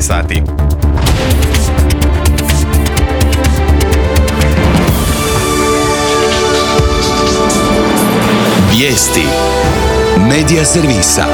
sati. Vijesti Medija servisa.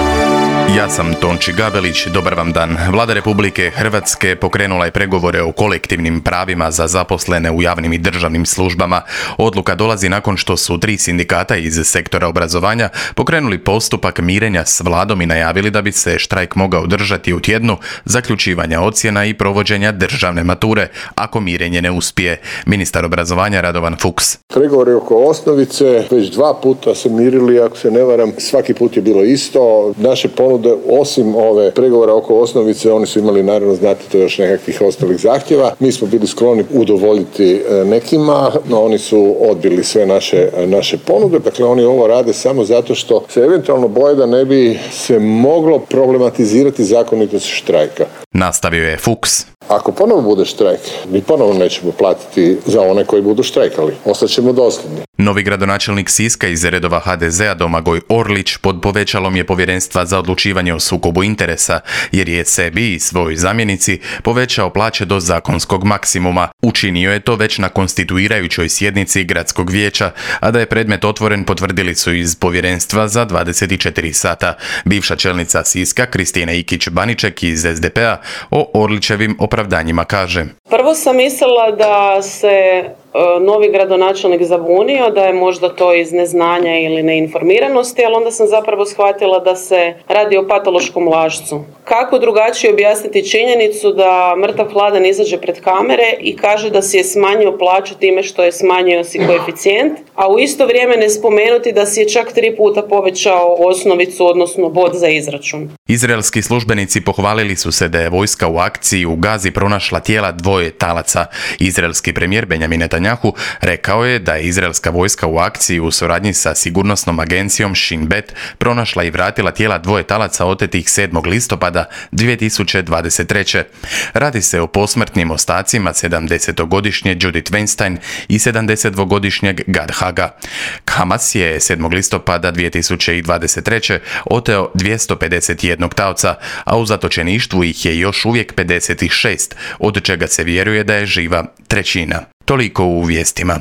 Ja sam Tonči Gabelić, dobar vam dan. Vlada Republike Hrvatske pokrenula je pregovore o kolektivnim pravima za zaposlene u javnim i državnim službama. Odluka dolazi nakon što su 3 sindikata iz sektora obrazovanja pokrenuli postupak mirenja s vladom i najavili da bi se štrajk mogao održati u tjednu zaključivanja ocjena i provođenja državne mature, ako mirenje ne uspije. Ministar obrazovanja Radovan Fuchs. Pregovori oko osnovice već 2 puta se mirili, ako se ne varam, svaki put je bilo isto. Naše ponude, osim ove pregovora oko osnovice, oni su imali, naravno, znate, to još nekakvih ostalih zahtjeva. Mi smo bili skloni udovoljiti nekima, no oni su odbili sve naše ponude. Dakle, oni ovo rade samo zato što se eventualno boje da ne bi se moglo problematizirati zakonitost štrajka. Nastavio je Fuchs. Ako ponovo bude štrajk, mi ponovo nećemo platiti za one koji budu štrajkali. Ostaćemo dosljedni. Novi gradonačelnik Siska iz redova HDZ-a Domagoj Orlić pod povećalom je Povjerenstva za odlučivanje o sukobu interesa, jer je sebi i svojoj zamjenici povećao plaće do zakonskog maksimuma. Učinio je to već na konstituirajućoj sjednici gradskog vijeća, a da je predmet otvoren potvrdili su iz Povjerenstva za 24 sata. Bivša čelnica Siska Kristina Ikić-Baniček iz SDP-a o Orlićevim opravdanjima kaže: Prvo sam mislila da se novi gradonačelnik zabunio, da je možda to iz neznanja ili neinformiranosti, ali onda sam zapravo shvatila da se radi o patološkom lažcu. Kako drugačije objasniti činjenicu da mrtav hladan izađe pred kamere i kaže da si je smanjio plaću time što je smanjio si koeficijent, a u isto vrijeme ne spomenuti da si je čak 3 puta povećao osnovicu, odnosno bod za izračun. Izraelski službenici pohvalili su se da je vojska u akciji u Gazi pronašla tijela 2 talaca. Izraelski premijer Benjamin Netanjahu rekao je da je izraelska vojska u akciji u suradnji sa sigurnosnom agencijom Shin Bet pronašla i vratila tijela 2 talaca otetih 7. listopada 2023. Radi se o posmrtnim ostacima 70-godišnje Judith Weinstein i 72-godišnjeg Gad Haga. Hamas je 7. listopada 2023. oteo 251 taoca, a u zatočeništvu ih je još uvijek 56, od čega se vjeruje da je živa 1/3. Toliko u vijestima.